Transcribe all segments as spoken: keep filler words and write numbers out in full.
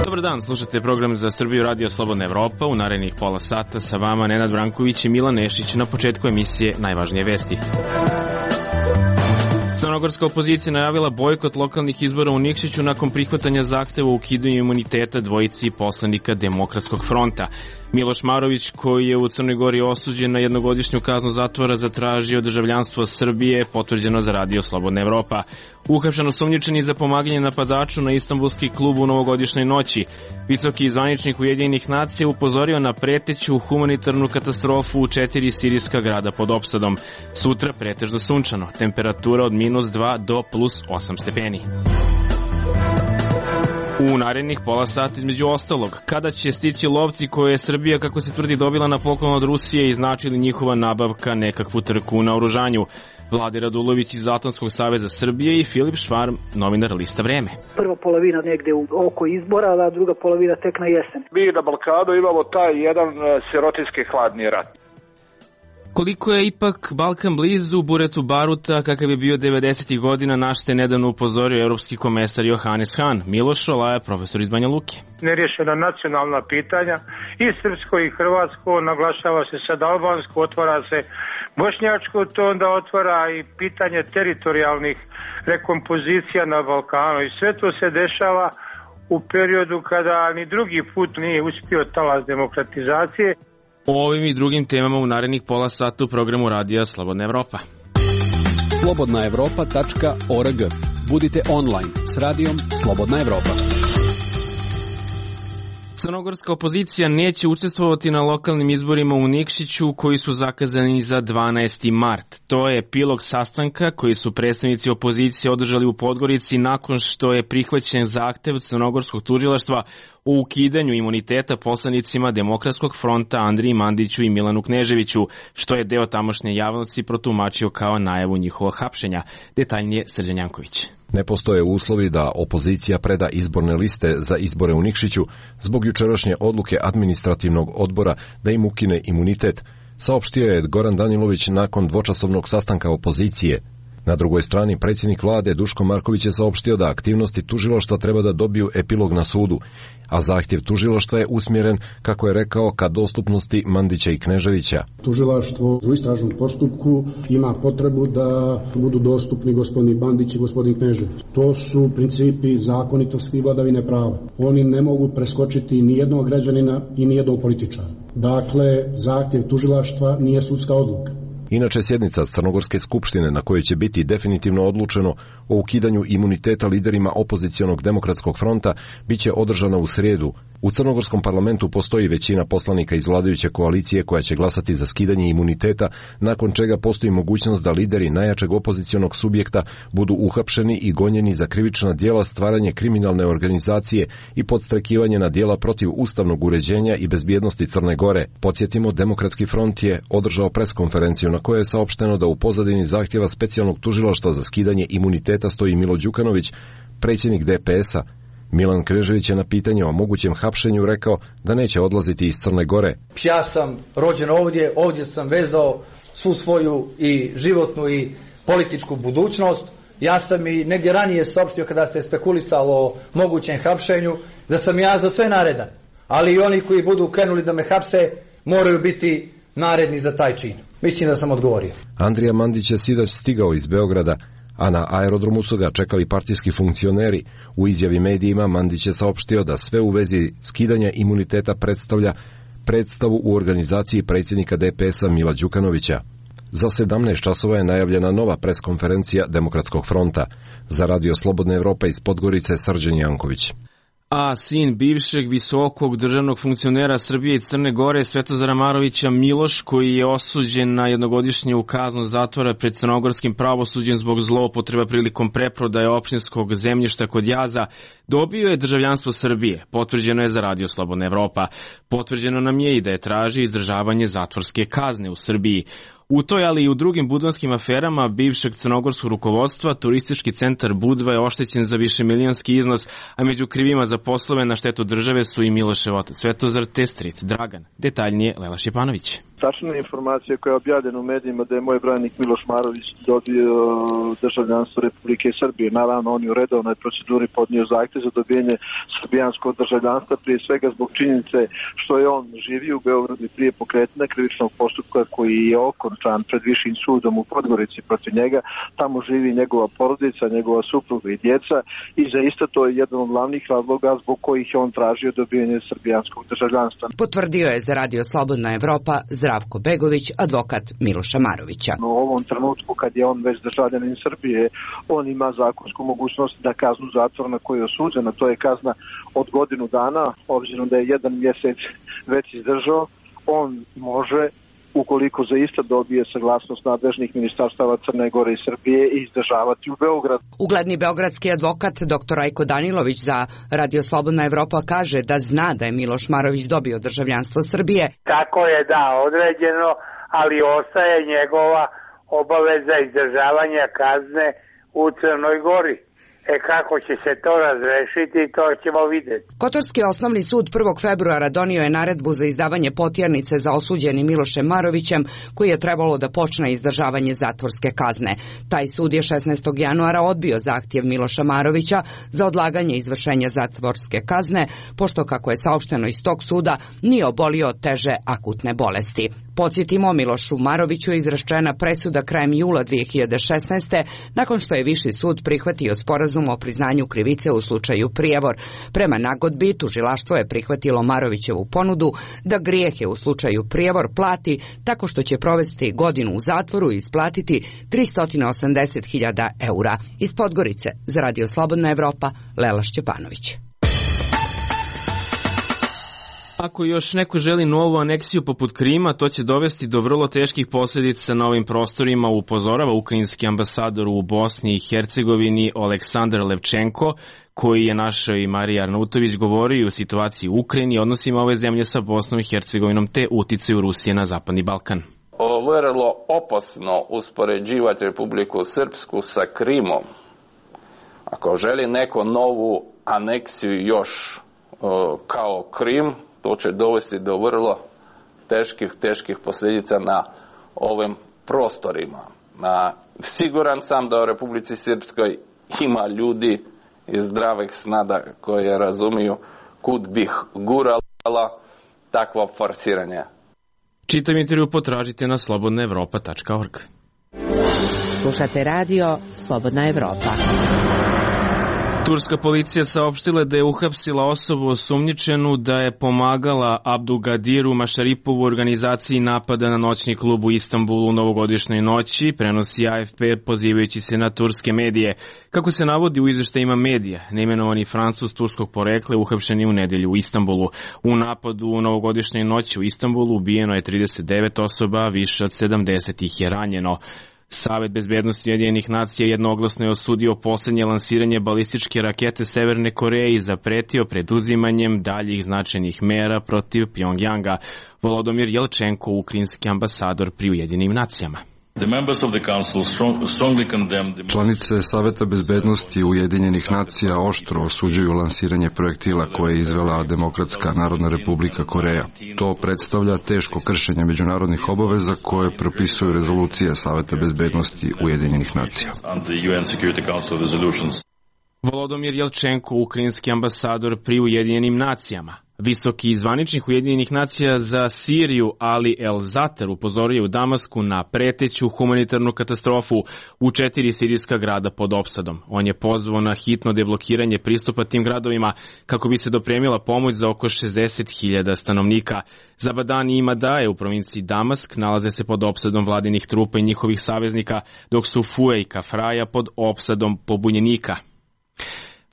Dobar dan, slušate program za Srbiju Radio Slobodna Evropa. U narednih pola sata sa vama Nenad Branković i Milan Nešić. Na početku emisije najvažnije vesti. Crnogorska opozicija najavila bojkot lokalnih izbora u Nikšiću nakon prihvatanja zahteva o ukidanju imuniteta dvojici poslanika Demokratskog fronta. Miloš Marović, koji je u Crnoj Gori osuđen na jednogodišnju kaznu zatvora, zatražio državljanstvo Srbije, potvrđeno za Radio Slobodna Evropa. Uhapšen osumnjičeni za pomaganje napadaču na Istanbulski klub u novogodišnjoj noći. Visoki zvaničnik Ujedinjenih nacija upozorio na preteću humanitarnu katastrofu u četiri sirijska grada pod opsadom. Sutra pretežno sunčano, temperatura od minus dva do plus osam stepeni. U narednih pola sata između ostalog, kada će stići lovci koje je Srbija, kako se tvrdi, dobila na poklon od Rusije i znači li njihova nabavka nekakvu trku na oružanju? Vlade Radulović iz Atlantskog saveza Srbije i Filip Švarm, novinar Lista Vreme. Prva polovina negde u oko izbora, a druga polovina tek na jesen. Mi na Balkanu imamo taj jedan sirotinski hladni rat. Koliko je ipak Balkan blizu buretu baruta kakav je bio devedesetih godina, naš te nedavno upozorio evropski komesar Johannes Hahn. Miloš Šolaja, profesor iz Banja Luke. Nerješena nacionalna pitanja i srpsko i hrvatsko, naglašava se sad albansko, otvara se bošnjačko, to onda otvara i pitanje teritorijalnih rekompozicija na Balkanu i sve to se dešava u periodu kada ni drugi put nije uspio talas demokratizacije. O ovim i drugim temama u narednih pola sata u programu Radija Slobodna Evropa. slobodna evropa tačka org. Budite online s radijom Slobodna Evropa. Crnogorska opozicija neće učestvovati na lokalnim izborima u Nikšiću koji su zakazani za dvanaesti mart. To je epilog sastanka koji su predstavnici opozicije održali u Podgorici nakon što je prihvaćen zahtev crnogorskog tužilaštva o ukidanju imuniteta poslanicima Demokratskog fronta Andriji Mandiću i Milanu Kneževiću, što je deo tamošnje javnosti protumačio kao najavu njihovog hapšenja. Detaljnije Srđan Janković. Ne postoje uslovi da opozicija preda izborne liste za izbore u Nikšiću zbog jučerašnje odluke administrativnog odbora da im ukine imunitet, saopštio je Goran Danilović nakon dvočasovnog sastanka opozicije. Na drugoj strani, predsjednik vlade Duško Marković je saopštio da aktivnosti tužilaštva treba da dobiju epilog na sudu, a zahtjev tužilaštva je usmjeren, kako je rekao, ka dostupnosti Mandića i Kneževića. Tužilaštvo u istražnom postupku ima potrebu da budu dostupni gospodin Mandić i gospodin Knežević. To su principi zakonitosti i vladavine prava. Oni ne mogu preskočiti ni jednog građanina i ni jednog političara. Dakle, zahtjev tužilaštva nije sudska odluka. Inače, sjednica Crnogorske skupštine na kojoj će biti definitivno odlučeno o ukidanju imuniteta liderima opozicionog Demokratskog fronta biće održana u srijedu. U crnogorskom parlamentu postoji većina poslanika iz vladajuće koalicije koja će glasati za skidanje imuniteta, nakon čega postoji mogućnost da lideri najjačeg opozicionog subjekta budu uhapšeni i gonjeni za krivična djela, stvaranje kriminalne organizacije i podstrekivanje na djela protiv ustavnog uređenja i bezbjednosti Crne Gore. Podsjetimo, Demokratski front je održao preskonferenciju na kojoj je saopšteno da u pozadini zahtjeva specijalnog tužilaštva za skidanje imuniteta stoji Milo Đukanović, predsjednik D P S-a. Milan Knežević je na pitanje o mogućem hapšenju rekao da neće odlaziti iz Crne Gore. Ja sam rođen ovdje, ovdje sam vezao svu svoju i životnu i političku budućnost. Ja sam i negdje ranije saopštio kada ste spekulisali o mogućem hapšenju da sam ja za sve naredan. Ali i oni koji budu krenuli da me hapse moraju biti naredni za taj čin. Mislim da sam odgovorio. Andrija Mandić je sinoć stigao iz Beograda, a na aerodromu su ga čekali partijski funkcioneri. U izjavi medijima Mandić je saopštio da sve u vezi skidanja imuniteta predstavlja predstavu u organizaciji predsjednika D P S-a Mila Đukanovića. Za sedamnaest časova je najavljena nova preskonferencija Demokratskog fronta. Za Radio Slobodna Evropa iz Podgorice, Srđan Janković. A sin bivšeg visokog državnog funkcionera Srbije i Crne Gore Svetozara Marovića Miloš, koji je osuđen na jednogodišnju kaznu zatvora pred crnogorskim pravosuđem zbog zloupotreba prilikom preprodaje opštinskog zemljišta kod Jaza, dobio je državljanstvo Srbije. Potvrđeno je za Radio Slobodna Evropa. Potvrđeno nam je i da je traži izdržavanje zatvorske kazne u Srbiji. U toj, ali i u drugim budvanskim aferama bivšeg crnogorskog rukovodstva, turistički centar Budva je oštećen za višemilijonski iznos, a među krivima za poslove na štetu države su i Milošev otac Svetozar te stric Dragan. Detaljnije Lela Šjepanović. Tačna informacija koja je objavljena u medijima da je moj branik Miloš Marović dobio državljanstvo Republike Srbije. Naravno, on je u redovnoj proceduri podnio zahtev za dobijanje srbijanskog državljanstva, prije svega zbog činjenice što je on živio u Beogradu i prije pokretanja krivičnog postupka koji je okončan pred višim sudom u Podgorici protiv njega. Tamo živi njegova porodica, njegova supruga i djeca i zaista to je jedan od glavnih razloga zbog kojih je on tražio dobijanje srbijanskog državljanstva. Potvrdio je za Radio Slobodna Evropa Zdravko Begović, advokat Miloša Marovića. U ovom trenutku kad je on već državljanin Srbije, on ima zakonsku mogućnost da kaznu zatvora na koju je osuđena, to je kazna od godinu dana, obzirom da je jedan mjesec već izdržao, on može, ukoliko zaista dobije saglasnost nadležnih ministarstava Crne Gore i Srbije, izdržavati u Beograd. Ugledni beogradski advokat dr Rajko Danilović za Radio Slobodna Evropa kaže da zna da je Miloš Marović dobio državljanstvo Srbije. Tako je, da, određeno, ali ostaje njegova obaveza izdržavanja kazne u Crnoj Gori. E kako će se to razrešiti, to ćemo vidjeti. Kotorski osnovni sud prvog februara donio je naredbu za izdavanje potjernice za osuđeni Milošem Marovićem, koji je trebalo da počne izdržavanje zatvorske kazne. Taj sud je šesnaestog januara odbio zahtjev Miloša Marovića za odlaganje izvršenja zatvorske kazne, pošto, kako je saopšteno iz tog suda, nije obolio od teže akutne bolesti. Podsjetimo, Milošu Maroviću je izrečena presuda krajem jula dve hiljade šesnaeste. nakon što je Viši sud prihvatio sporazum o priznanju krivice u slučaju prijevor. Prema nagodbi, tužilaštvo je prihvatilo Marovićevu ponudu da grijehe u slučaju prijevor plati tako što će provesti godinu u zatvoru i isplatiti tristo osamdeset hiljada eura. Iz Podgorice za Radio Slobodna Evropa, Lela Šćepanović. Ako još neko želi novu aneksiju poput Krima, to će dovesti do vrlo teških posljedica na ovim prostorima, upozorava ukrajinski ambasador u Bosni i Hercegovini Oleksandar Levčenko, koji je našao i Marija Arnautović govorio o situaciji u Ukrajini, odnosima ove zemlje sa Bosnom i Hercegovinom te uticaju Rusije na Zapadni Balkan. Vrlo opasno uspoređivati Republiku Srpsku sa Krimom. Ako želi neko novu aneksiju još kao Krim, to će dovesti do vrlo teških, teških posljedica na ovim prostorima. A, siguran sam da u Republici Srpskoj ima ljudi iz zdravih snada koje razumiju kud bih gurala takvo forsiranje. Čitam intervju potražite na slobodna evropa tačka org. Slušate radio Slobodna Evropa. Turska policija saopštila da je uhapsila osobu osumnjičenu da je pomagala Abdulgadiru Mašaripovu u organizaciji napada na noćni klub u Istanbulu u novogodišnjoj noći, prenosi A F P pozivajući se na turske medije. Kako se navodi u izveštajima medija, neimenovani Francuz turskog porekla je uhapšen u nedelju u Istanbulu. U napadu u novogodišnjoj noći u Istanbulu ubijeno je trideset devet osoba, a više od sedamdeset ih je ranjeno. Savet bezbednosti Ujedinjenih nacija jednoglasno je osudio poslednje lansiranje balističke rakete Severne Koreje i zapretio preduzimanjem daljih značajnih mera protiv Pjongjanga. Volodymyr Jelčenko, ukrajinski ambasador pri Ujedinjenim nacijama. Članice Saveta bezbednosti Ujedinjenih nacija oštro osuđuju lansiranje projektila koje je izvela Demokratska Narodna Republika Koreja. To predstavlja teško kršenje međunarodnih obaveza koje propisuju rezolucije Saveta bezbednosti Ujedinjenih nacija. Volodymyr Jelčenko, ukrajinski ambasador pri Ujedinjenim nacijama. Visoki zvaničnik Ujedinjenih nacija za Siriju Ali El Zatar upozorio u Damasku na preteću humanitarnu katastrofu u četiri sirijska grada pod opsadom. On je pozvao na hitno deblokiranje pristupa tim gradovima kako bi se dopremila pomoć za oko šezdeset hiljada stanovnika. Zabadan i Madaje u provinciji Damask nalaze se pod opsadom vladinih trupa i njihovih saveznika, dok su Fue i Kafraja pod opsadom pobunjenika.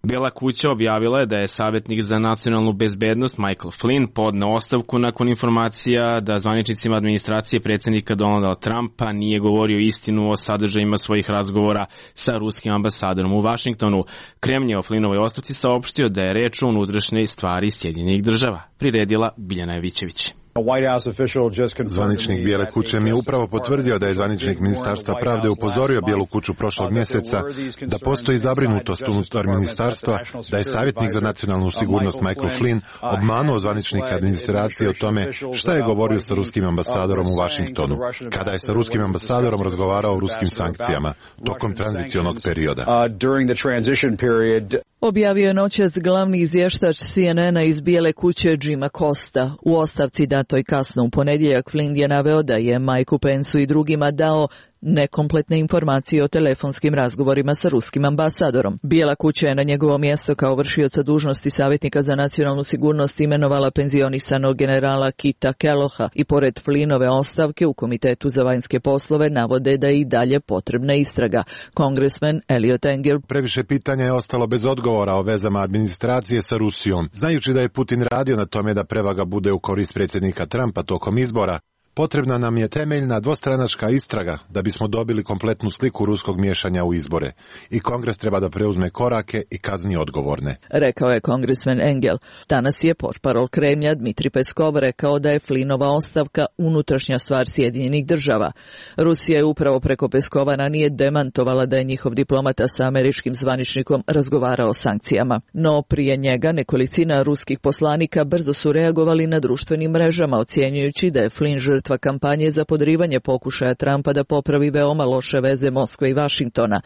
Bela kuća objavila je da je savjetnik za nacionalnu bezbednost Michael Flynn podneo ostavku nakon informacija da zvaničnicima administracije predsjednika Donalda Trumpa nije govorio istinu o sadržajima svojih razgovora sa ruskim ambasadorom u Vašingtonu. Kremlj je o Flynnovoj ostavci saopštio da je reč o unutrašnjoj stvari Sjedinjenih država, priredila Biljana Jevićević. Zvaničnik Bijele kuće mi je upravo potvrdio da je zvaničnik Ministarstva pravde upozorio Bijelu kuću prošlog mjeseca da postoji zabrinutost unutar ministarstva, da je savjetnik za nacionalnu sigurnost Michael Flynn obmanuo zvaničnike administracije o tome šta je govorio sa ruskim ambasadorom u Washingtonu, kada je sa ruskim ambasadorom razgovarao o ruskim sankcijama tokom tranzicionog perioda. Objavio je noćas glavni izvještač C N N-a iz Bijele kuće Jima Costa. U ostavci datoj kasno u ponedjeljak Flynn je naveo da je Mikeu Pensu i drugima dao nekompletne informacije o telefonskim razgovorima sa ruskim ambasadorom. Bijela kuća je na njegovo mjesto kao vršioca dužnosti savjetnika za nacionalnu sigurnost imenovala penzionisanog generala Kita Kelloha i pored Flynnove ostavke u Komitetu za vanjske poslove navode da je i dalje potrebna istraga. Kongresmen Eliot Engel: Previše pitanja je ostalo bez odgovora o vezama administracije sa Rusijom. Znajući da je Putin radio na tome da prevaga bude u korist predsjednika Trumpa tokom izbora, potrebna nam je temeljna dvostranačka istraga da bismo dobili kompletnu sliku ruskog miješanja u izbore. I Kongres treba da preuzme korake i kazni odgovorne, rekao je kongresmen Engel. Danas je portparol Kremlja Dmitri Peskov rekao da je Flynnova ostavka unutrašnja stvar Sjedinjenih država. Rusija je upravo preko Peskova ranije demantovala da je njihov diplomata sa američkim zvaničnikom razgovarao o sankcijama. No prije njega nekolicina ruskih poslanika brzo su reagovali na društvenim mrežama, ocjenjujući da je Flynn žrtva kampanje za podrivanje pokušaja Trumpa da popravi veoma loše veze Moskve i Vašingtona.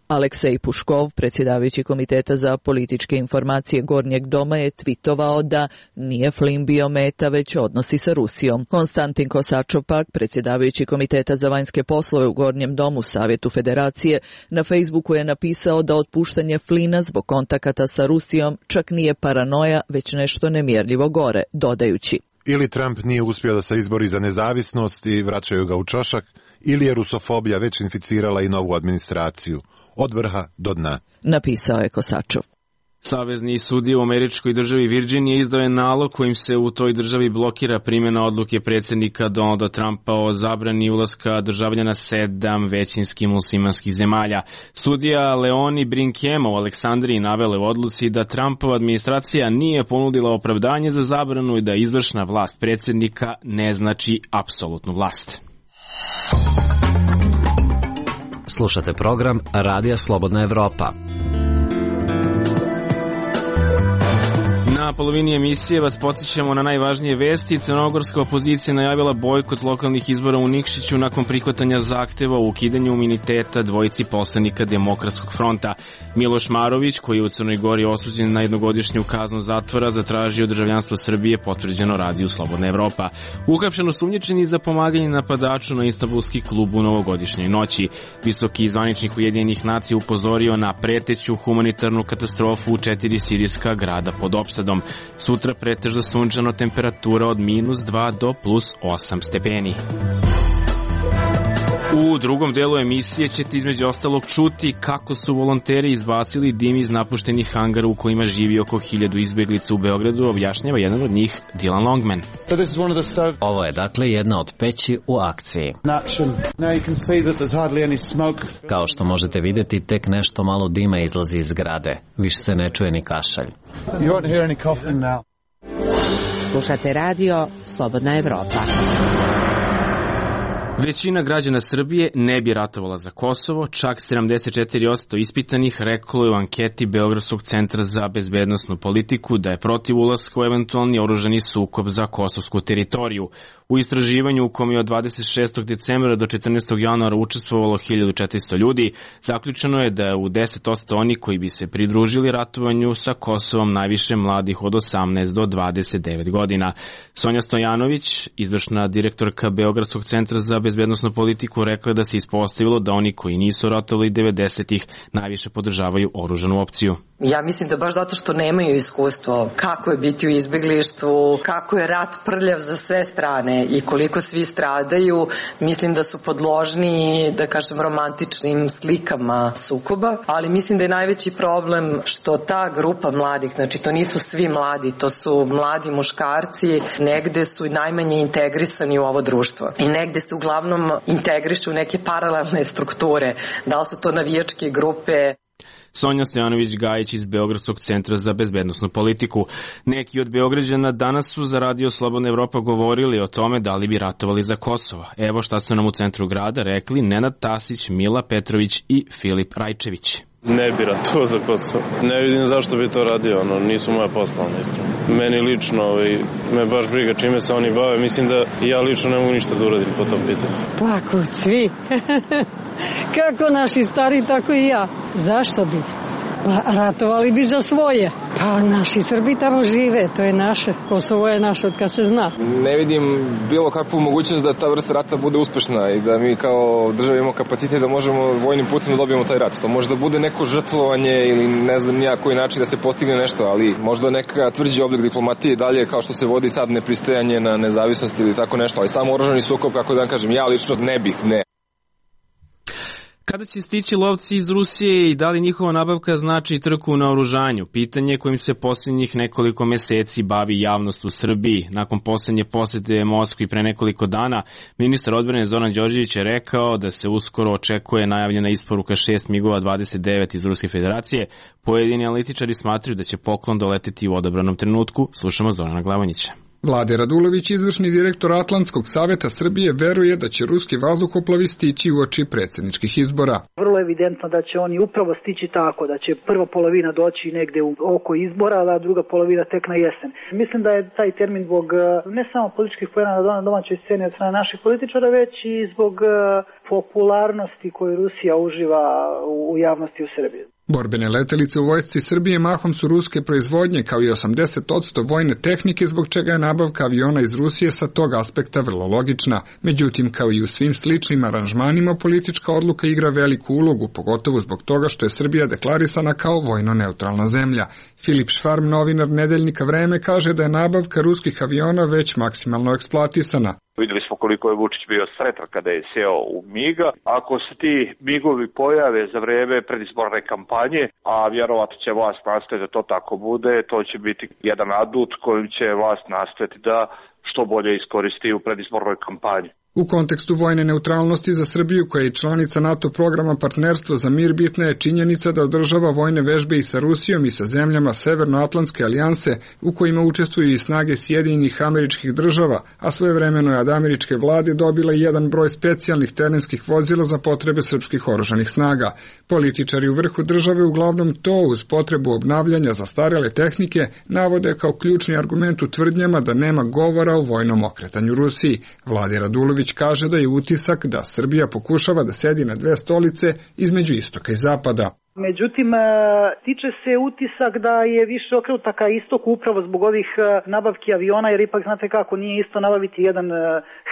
Aleksej Puškov, predsjedavajući Komiteta za političke informacije Gornjeg doma, je tvitovao da nije Flynn bio meta, već odnosi sa Rusijom. Konstantin Kosačov pak, predsjedavajući Komiteta za vanjske poslove u Gornjem domu Savjetu Federacije, na Facebooku je napisao da otpuštanje Flynna zbog kontakata sa Rusijom čak nije paranoja, već nešto nemjerljivo gore, dodajući: ili Trump nije uspio da se izbori za nezavisnost i vraćaju ga u čošak, ili je rusofobija već inficirala i novu administraciju, od vrha do dna, napisao je Kosačov. Savezni sudija u američkoj državi Virginije izdao je nalog kojim se u toj državi blokira primjena odluke predsjednika Donalda Trumpa o zabrani ulaska državljana sedam većinski muslimanskih zemalja. Sudija Leoni Brinkema u Aleksandriji navela u odluci da Trumpova administracija nije ponudila opravdanje za zabranu i da izvršna vlast predsjednika ne znači apsolutnu vlast. Slušate program Radija Slobodna Evropa. Na polovini emisije vas podsjećamo na najvažnije vesti. Crnogorska opozicija najavila bojkot lokalnih izbora u Nikšiću nakon prihvatanja zahteva o ukidanju imuniteta dvojici poslanika Demokratskog fronta. Miloš Marović, koji je u Crnoj Gori osuđen na jednogodišnju kaznu zatvora, zatražio državljanstvo Srbije, potvrđeno Radiju Slobodna Evropa. Uhapšen osumnjičeni za pomaganje napadaču na Istanbulski klub u novogodišnjoj noći. Visoki zvaničnik Ujedinjenih nacija upozorio na preteću humanitarnu katastrofu u četiri sirijska grada pod opsadom. Sutra pretežno sunčano, temperatura od minus dva do plus osam stepeni. U drugom delu emisije ćete između ostalog čuti kako su volonteri izbacili dim iz napuštenih hangara u kojima živi oko hiljadu izbjeglica u Beogradu, objašnjava jedan od njih, Dylan Longman. Ovo je dakle jedna od peći u akciji. Kao što možete vidjeti, tek nešto malo dima izlazi iz zgrade. Više se ne čuje ni kašalj. Slušate radio Slobodna Evropa. Većina građana Srbije ne bi ratovala za Kosovo, čak sedamdeset četiri posto ispitanih reklo je u anketi Beogradskog centra za bezbednosnu politiku da je protiv ulaska u eventualni oružani sukob za kosovsku teritoriju. U istraživanju u kom je od dvadeset šestog decembra do četrnaestog januara učestvovalo hiljadu četiristo ljudi, zaključeno je da je u deset posto oni koji bi se pridružili ratovanju sa Kosovom najviše mladih od osamnaest do dvadeset devet godina. Sonja Stojanović, izvršna direktorka Beogradskog centra za bezbednosnu politiku, rekla da se ispostavilo da oni koji nisu ratovali devedesetih najviše podržavaju oružanu opciju. Ja mislim da baš zato što nemaju iskustvo kako je biti u izbjeglištvu, kako je rat prljav za sve strane i koliko svi stradaju, mislim da su podložni, da kažem, romantičnim slikama sukoba, ali mislim da je najveći problem što ta grupa mladih, znači to nisu svi mladi, to su mladi muškarci, negde su najmanje integrisani u ovo društvo i negde se uglavnom integrišu u neke paralelne strukture, da li su to navijačke grupe. Sonja Stojanović-Gajić iz Beogradskog centra za bezbednosnu politiku. Neki od Beograđana danas su za Radio Slobodna Evropa govorili o tome da li bi ratovali za Kosovo. Evo šta su nam u centru grada rekli Nenad Tasić, Mila Petrović i Filip Rajčević. Ne bi ratovao za Kosovo. Ne vidim zašto bi to radio, ono, nisu moja posla, iskreno. Meni lično, ovaj, me baš briga čime se oni bave, mislim da ja lično ne mogu ništa da uradim po tom pitanju. Pa ako svi, kako naši stari, tako i ja. Zašto bi? Pa ratovali bi za svoje. Pa naši Srbi tamo žive, to je naše. Kosovo je naše od kad se zna. Ne vidim bilo kakvu mogućnost da ta vrsta rata bude uspešna i da mi kao država imamo kapacitet da možemo vojnim putem da dobijemo taj rat. To može da bude neko žrtvovanje ili ne znam nija koji način da se postigne nešto, ali možda neka tvrđi oblik diplomatije dalje kao što se vodi sad nepristajanje na nezavisnost ili tako nešto, ali samo oružani sukob, kako da vam kažem, ja lično ne bih, ne. Kada će stići lovci iz Rusije i da li njihova nabavka znači trku na oružanju? Pitanje kojim se posljednjih nekoliko meseci bavi javnost u Srbiji. Nakon posljednje posete Moskvi pre nekoliko dana, ministar odbrane Zoran Đorđević je rekao da se uskoro očekuje najavljena isporuka šest migova dvadeset devet iz Ruske federacije. Pojedini analitičari smatraju da će poklon doleteti u odabranom trenutku. Slušamo Zorana Glavonjića. Vlade Radulović, izvršni direktor Atlantskog saveta Srbije, veruje da će ruski vazduhoplovi stići uoči predsjedničkih izbora. Vrlo evidentno da će oni upravo stići tako, da će prva polovina doći negde u oko izbora, a druga polovina tek na jesen. Mislim da je taj termin zbog ne samo političkih poena na domaćoj sceni od strane naših političara, već i zbog popularnosti koju Rusija uživa u javnosti u Srbiji. Borbene letelice u vojsci Srbije mahom su ruske proizvodnje, kao i osamdeset posto vojne tehnike, zbog čega je nabavka aviona iz Rusije sa tog aspekta vrlo logična. Međutim, kao i u svim sličnim aranžmanima, politička odluka igra veliku ulogu, pogotovo zbog toga što je Srbija deklarisana kao vojno neutralna zemlja. Filip Švarm, novinar nedeljnika Vreme, kaže da je nabavka ruskih aviona već maksimalno eksploatisana. Videli smo koliko je Vučić bio sretan kada je sjeo u Miga. Ako se ti Migovi pojave za vreme predizborne kampanje, a vjerovatno će vlast nastaviti da to tako bude, to će biti jedan adut kojim će vlast nastaviti da što bolje iskoristi u predizbornoj kampanji. U kontekstu vojne neutralnosti za Srbiju, koja je članica NATO programa Partnerstvo za mir, bitna je činjenica da održava vojne vežbe i sa Rusijom i sa zemljama Severnoatlantske alijanse, u kojima učestvuju i snage Sjedinjenih Američkih Država, a svojevremeno je od američke vlade dobila i jedan broj specijalnih terenskih vozila za potrebe srpskih oružanih snaga. Političari u vrhu države uglavnom to uz potrebu obnavljanja zastarele tehnike navode kao ključni argument u tvrdnjama da nema govora o vojnom okretanju Rusiji. Vladi Radulović kaže da je utisak da Srbija pokušava da sedi na dve stolice između istoka i zapada. Međutim, tiče se utisak da je više okrenuta ka istoku upravo zbog ovih nabavki aviona, jer ipak znate kako, nije isto nabaviti jedan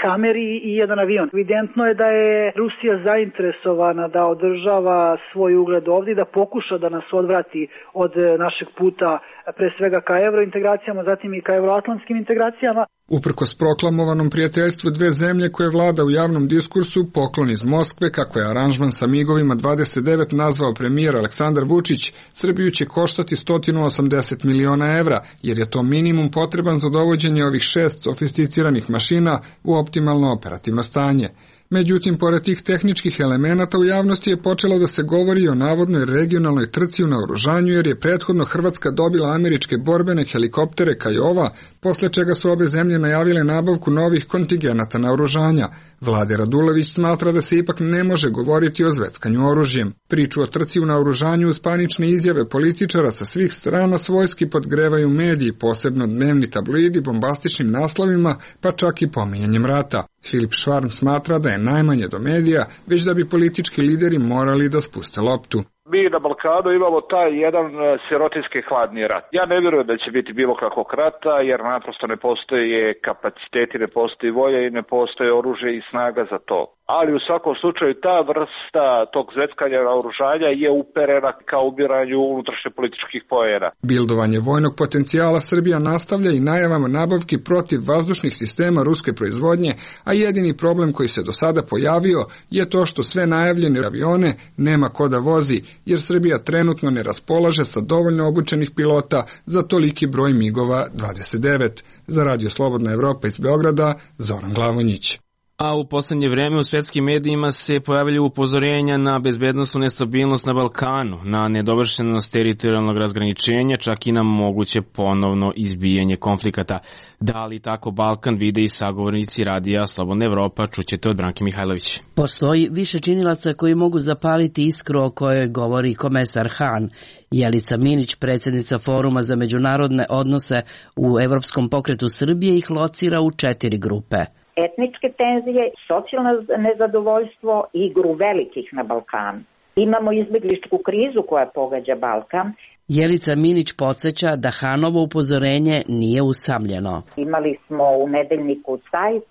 Hammer i jedan avion. Evidentno je da je Rusija zainteresovana da održava svoj ugled ovdje, da pokuša da nas odvrati od našeg puta pre svega ka evrointegracijama, zatim i ka evroatlantskim integracijama. Uprkos proklamovanom prijateljstvu dve zemlje koje vlada u javnom diskursu, poklon iz Moskve, kako je aranžman sa migovima dvadeset devet nazvao premijer Aleksandar Vučić, Srbiju će koštati sto osamdeset miliona evra, jer je to minimum potreban za dovođenje ovih šest sofisticiranih mašina u optimalno operativno stanje. Međutim, pored tih tehničkih elemenata u javnosti je počelo da se govori o navodnoj regionalnoj trci u naoružanju, jer je prethodno Hrvatska dobila američke borbene helikoptere Kajova, posle čega su obe zemlje najavile nabavku novih kontingenata naoružanja. Vlade Radulović smatra da se ipak ne može govoriti o zveckanju oružjem. Priču o trci u naoružanju uz panične izjave političara sa svih strana svojski podgrevaju mediji, posebno dnevni tabloidi bombastičnim naslovima, pa čak i pominjanjem rata. Filip Švarm smatra da je najmanje do medija, već da bi politički lideri morali da spuste loptu. Mi na Balkanu imamo taj jedan sirotinski hladni rat. Ja ne vjerujem da će biti bilo kakvog rata, jer naprosto ne postoje kapaciteti, ne postoji volja i ne postoje oružje i snaga za to. Ali u svakom slučaju ta vrsta tog zveckanja naoružanja je uperena ka ubiranju unutrašnje političkih poena. Bildovanje vojnog potencijala Srbija nastavlja i najavama nabavki protiv vazdušnih sistema ruske proizvodnje, a jedini problem koji se do sada pojavio je to što sve najavljene avione nema ko da vozi, jer Srbija trenutno ne raspolaže sa dovoljno obučenih pilota za toliki broj migova dvadeset devet. Za Radio Slobodna Evropa iz Beograda, Zoran Glavonjić. A u poslednje vreme u svetskim medijima se pojavljaju upozorenja na bezbednosnu nestabilnost na Balkanu, na nedovršenost teritorijalnog razgraničenja, čak i na moguće ponovno izbijanje konflikata. Da li tako Balkan vide i sagovornici radija Slobodna Evropa, čućete od Branke Mihajlović. Postoji više činilaca koji mogu zapaliti iskru o kojoj govori komesar Han. Jelica Minić, predsjednica Foruma za međunarodne odnose u Evropskom pokretu Srbije, ih locira u četiri grupe. Etničke tenzije, socijalno nezadovoljstvo i igru velikih na Balkanu. Imamo izbegličku krizu koja pogađa Balkan. Jelica Minić podsjeća da Hanovo upozorenje nije usamljeno. Imali smo u nedeljniku Zeit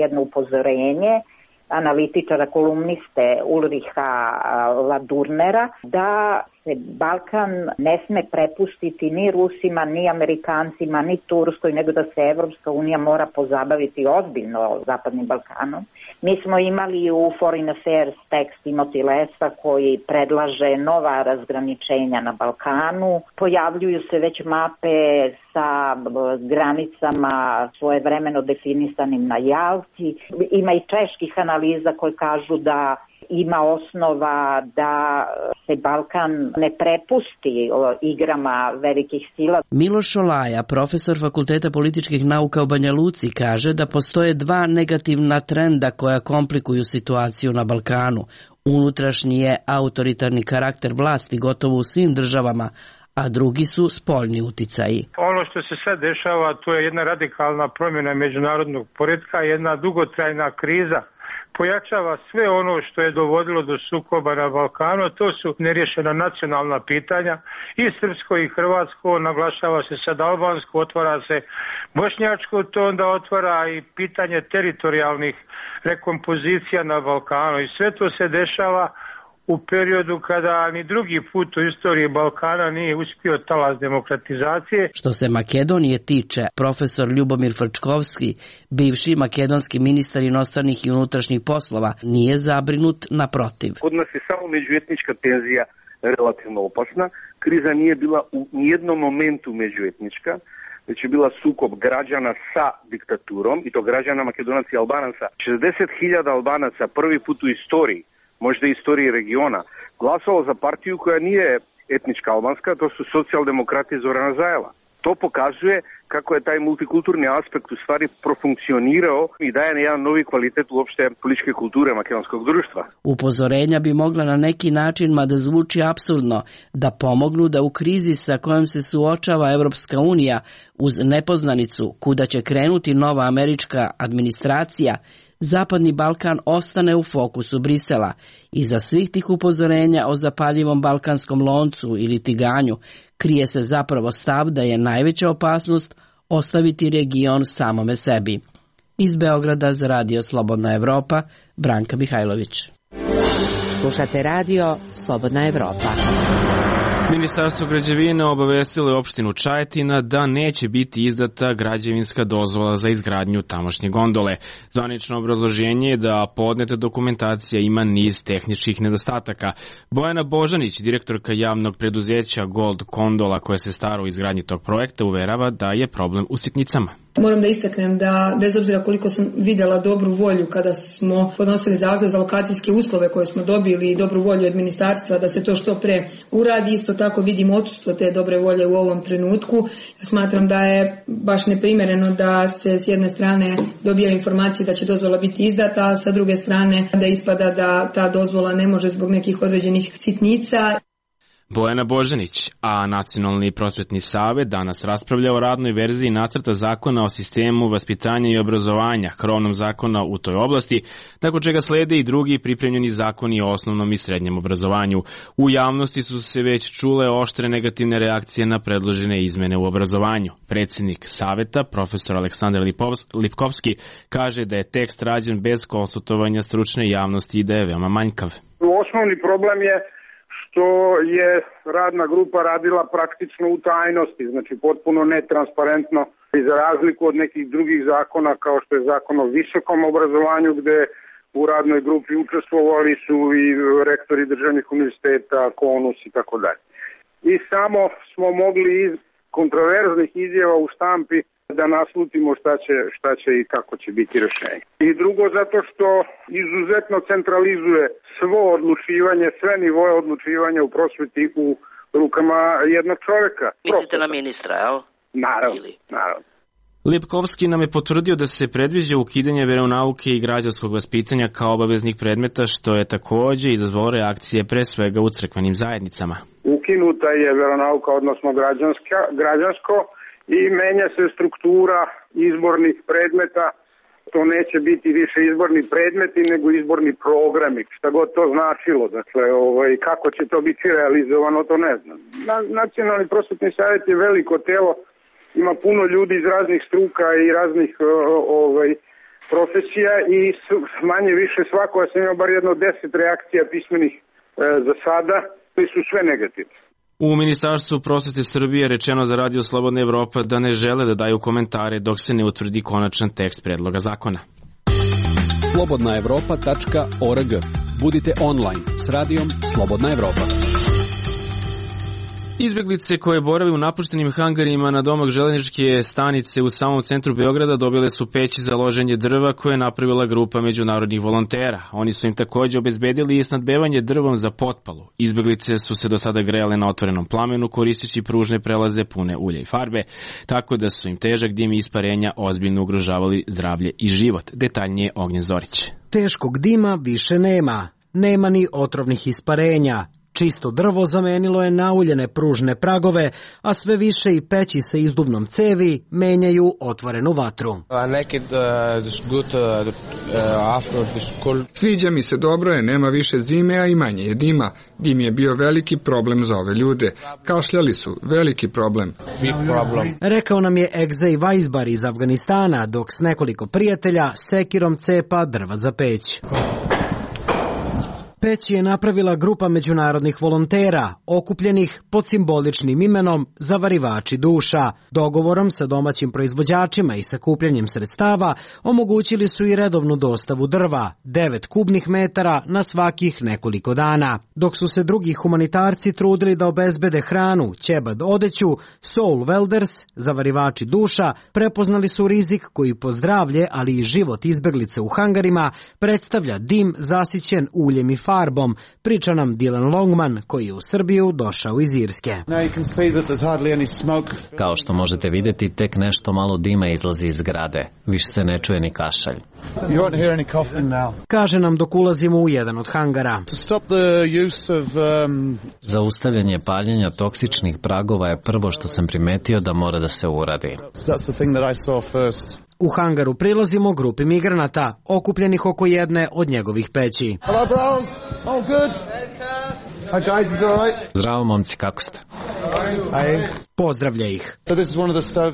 jedno upozorenje analitičara, kolumniste Ulriha Ladurnera da se Balkan ne sme prepustiti ni Rusima, ni Amerikancima, ni Turskoj, nego da se Evropska unija mora pozabaviti ozbiljno Zapadnim Balkanom. Mi smo imali u Foreign Affairs tekst Timothy Lesa koji predlaže nova razgraničenja na Balkanu. Pojavljuju se već mape sa granicama svojevremeno definisanim na Jalti. Ima i čeških analiza koje kažu da ima osnova da se Balkan ne prepusti igrama velikih sila. Miloš Šolaja, profesor Fakulteta političkih nauka u Banja Luci, kaže da postoje dva negativna trenda koja komplikuju situaciju na Balkanu. Unutrašnji je autoritarni karakter vlasti gotovo u svim državama, a drugi su spoljni uticaji. Ono što se sad dešava, to je jedna radikalna promjena međunarodnog poretka, jedna dugotrajna kriza. Pojačava sve ono što je dovodilo do sukoba na Balkanu, to su nerješena nacionalna pitanja, i srpsko i hrvatsko, naglašava se sad albansko, otvara se bošnjačko, to onda otvara i pitanje teritorijalnih rekompozicija na Balkanu, i sve to se dešava u periodu kada ni drugi put u istoriji Balkana nije uspio talas demokratizacije. Što se Makedonije tiče, profesor Ljubomir Frčkovski, bivši makedonski ministar inostranih i unutrašnjih poslova, nije zabrinut, naprotiv. Kod nas je samo međuetnička tenzija relativno opasna. Kriza nije bila u nijednom momentu međuetnička, već je bila sukob građana sa diktaturom, i to građana Makedonaca i Albanaca. šezdeset hiljada Albanaca prvi put u istoriji, možda istoriji regiona, glasalo za partiju koja nije etnička albanska, to su socijaldemokrati Zorana Zajela. To pokazuje kako je taj multikulturni aspekt u stvari profunkcionirao i daje jedan novi kvalitet uopšte političke kulture makedonskog društva. Upozorenja bi mogla na neki način, mada zvuči apsurdno, da pomognu da u krizi sa kojom se suočava Evropska unija uz nepoznanicu kuda će krenuti nova američka administracija, Zapadni Balkan ostane u fokusu Brisela. Iza svih tih upozorenja o zapaljivom balkanskom loncu ili tiganju krije se zapravo stav da je najveća opasnost ostaviti region samome sebi. Iz Beograda za Radio Slobodna Evropa, Branka Mihajlović. Slušate Radio Slobodna Evropa. Ministarstvo građevine obavestilo je opštinu Čajetina da neće biti izdata građevinska dozvola za izgradnju tamošnje gondole. Zvanično obrazloženje je da podneta dokumentacija ima niz tehničkih nedostataka. Bojana Božanić, direktorka javnog preduzeća Gold Gondola koja se stara o izgradnji tog projekta, uverava da je problem u sitnicama. Moram da istaknem da, bez obzira koliko sam videla dobru volju kada smo podnosili zahtev za lokacijske uslove koje smo dobili i dobru volju od ministarstva da se to što pre uradi, isto tako vidim odsustvo te dobre volje u ovom trenutku. Ja smatram da je baš neprimereno da se s jedne strane dobija informacije da će dozvola biti izdata, a sa druge strane da ispada da ta dozvola ne može zbog nekih određenih sitnica. Bojana Božanić, a Nacionalni prosvetni savet danas raspravlja o radnoj verziji nacrta zakona o sistemu vaspitanja i obrazovanja, krovnom zakona u toj oblasti, tako čega slede i drugi pripremljeni zakoni o osnovnom i srednjem obrazovanju. U javnosti su se već čule oštre negativne reakcije na predložene izmene u obrazovanju. Predsjednik saveta, profesor Aleksandar Lipkovski, kaže da je tekst rađen bez konsultovanja stručne javnosti i da je veoma manjkav. Osnovni problem je što je radna grupa radila praktično u tajnosti, znači potpuno netransparentno, i za razliku od nekih drugih zakona kao što je zakon o visokom obrazovanju gde u radnoj grupi učestvovali su i rektori državnih univerziteta, KONUS i tako dalje. I samo smo mogli iz kontroverznih izjava u štampi da naslutimo šta će, šta će i kako će biti rešenje. I drugo, zato što izuzetno centralizuje svo odlučivanje, sve nivoje odlučivanja u prosveti u rukama jednog čoveka. Mislite na ministra, jel? Naravno, naravno. Lipkovski nam je potvrdio da se predviđa ukidanje veronauke i građanskog vaspitanja kao obaveznih predmeta, što je takođe izazvalo reakcije pre svega u crkvenim zajednicama. Ukinuta je veronauka, odnosno građanska, građansko, i menja se struktura izbornih predmeta. To neće biti više izborni predmeti, nego izborni programi, šta god to značilo. Dakle, ovaj, kako će to biti realizovano, to ne znam. Na, Nacionalni prosvetni savjet je veliko telo, ima puno ljudi iz raznih struka i raznih ovaj, profesija i manje više svako, ja sam imao bar jedno deset reakcija pismenih e, za sada, koji su sve negativne. U Ministarstvu prosvete Srbije rečeno za Radio Slobodna Evropa da ne žele da daju komentare dok se ne utvrdi konačan tekst predloga zakona. slobodna evropa tačka org. Budite online s radijom Slobodna Evropa. Izbeglice koje borave u napuštenim hangarima na domak železničke stanice u samom centru Beograda dobile su peći za loženje drva koje je napravila grupa međunarodnih volontera. Oni su im takođe obezbedili i snadbevanje drvom za potpalu. Izbeglice su se do sada grejale na otvorenom plamenu koristeći pružne prelaze pune ulja i farbe, tako da su im težak dim i isparenja ozbiljno ugrožavali zdravlje i život. Detaljnije Ognjen Zorić. Teškog dima više nema. Nema ni otrovnih isparenja. Čisto drvo zamenilo je nauljene pružne pragove, a sve više i peći sa izduvnom cevi menjaju otvorenu vatru. Sviđa mi se, dobro je, nema više zime, a i manje je dima. Dim je bio veliki problem za ove ljude. Kašljali su, veliki problem. Rekao nam je Egzej Vajzbar iz Afganistana, dok s nekoliko prijatelja sekirom cepa drva za peć. Peć je napravila grupa međunarodnih volontera, okupljenih pod simboličnim imenom Zavarivači duša. Dogovorom sa domaćim proizvođačima i sakupljanjem sredstava omogućili su i redovnu dostavu drva, devet kubnih metara na svakih nekoliko dana. Dok su se drugi humanitarci trudili da obezbede hranu, ćebad odeću, Soul Welders, Zavarivači duša, prepoznali su rizik koji po zdravlje, ali i život izbeglice u hangarima predstavlja dim zasićen uljem i farbom, priča nam Dylan Longman, koji je u Srbiju došao iz Irske. Kao što možete vidjeti, tek nešto malo dima izlazi iz zgrade. Više se ne čuje ni kašalj. Kaže nam dok ulazimo u jedan od hangara. Zaustavljanje paljenja toksičnih pragova je prvo što sam primetio da mora da se uradi. U hangaru prilazimo grupi migranata, okupljenih oko jedne od njegovih peći. Hello, bros. Oh, good. Hi guys, is it all right? Zdravo, momci, kako ste? Hi. Pozdravlja ih.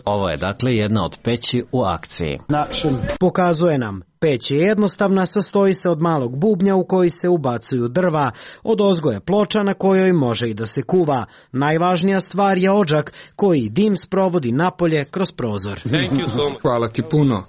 Ovo je dakle jedna od peći u akciji. Pokazuje nam. Peć je jednostavna, sastoji se od malog bubnja u koji se ubacuju drva, od ozgo je ploča na kojoj može i da se kuva. Najvažnija stvar je odžak koji dim sprovodi napolje kroz prozor. Hvala ti puno.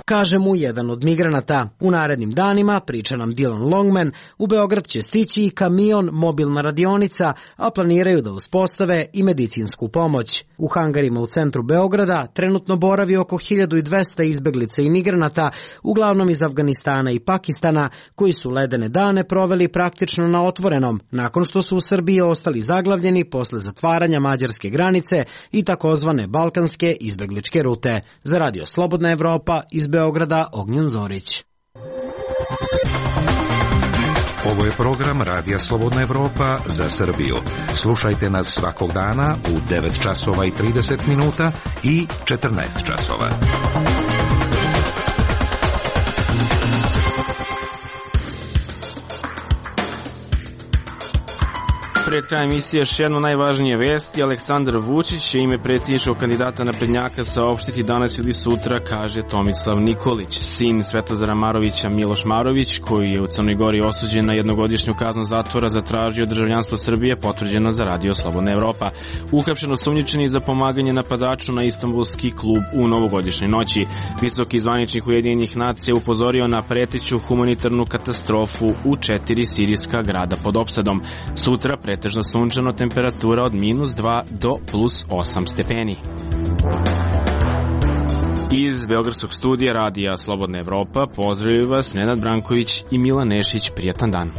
Kaže mu jedan od migranata. U narednim danima, priča nam Dylan Longman, u Beograd će stići i kamion, mobilna radionica, a planiraju da uspostave i medicinsku pomoć. U hangarima u centru Beograda trenutno boravi oko hiljadu dvesta izbeglica i migranata, uglavnom iz Afganistana i Pakistana, koji su ledene dane proveli praktično na otvorenom, nakon što su u Srbiji ostali zaglavljeni posle zatvaranja mađarske granice i takozvane balkanske izbegličke rute. Za Radio Slobodna Evropa iz Beograda, Ognjen Zorić. Ovo je program Radija Slobodna Evropa za Srbiju. Slušajte nas svakog dana u devet časova i trideset minuta i četrnaest časova. Pred krajem emisije još jedno najvažnije vesti. Aleksandar Vučić će ime predsjedničkog kandidata naprednjaka saopštiti danas ili sutra, kaže Tomislav Nikolić. Sin Svetozara Marovića, Miloš Marović, koji je u Crnoj Gori osuđen na jednogodišnju kaznu zatvora, zatražio državljanstvo Srbije, potvrđeno za Radio Slobodna Evropa. Uhapšen osumnjičeni za pomaganje napadaču na Istanbulski klub u novogodišnjoj noći. Visoki zvaničnik Ujedinjenih nacija upozorio na preteću humanitarnu katastrofu u četiri sirijska grada pod opsadom. Sutra pretežno sunčano, temperatura od minus dva do plus osam stepeni. Iz Beogradskog studija radija Slobodna Evropa pozdravljaju vas Nenad Branković i Milan Nešić. Prijatan dan.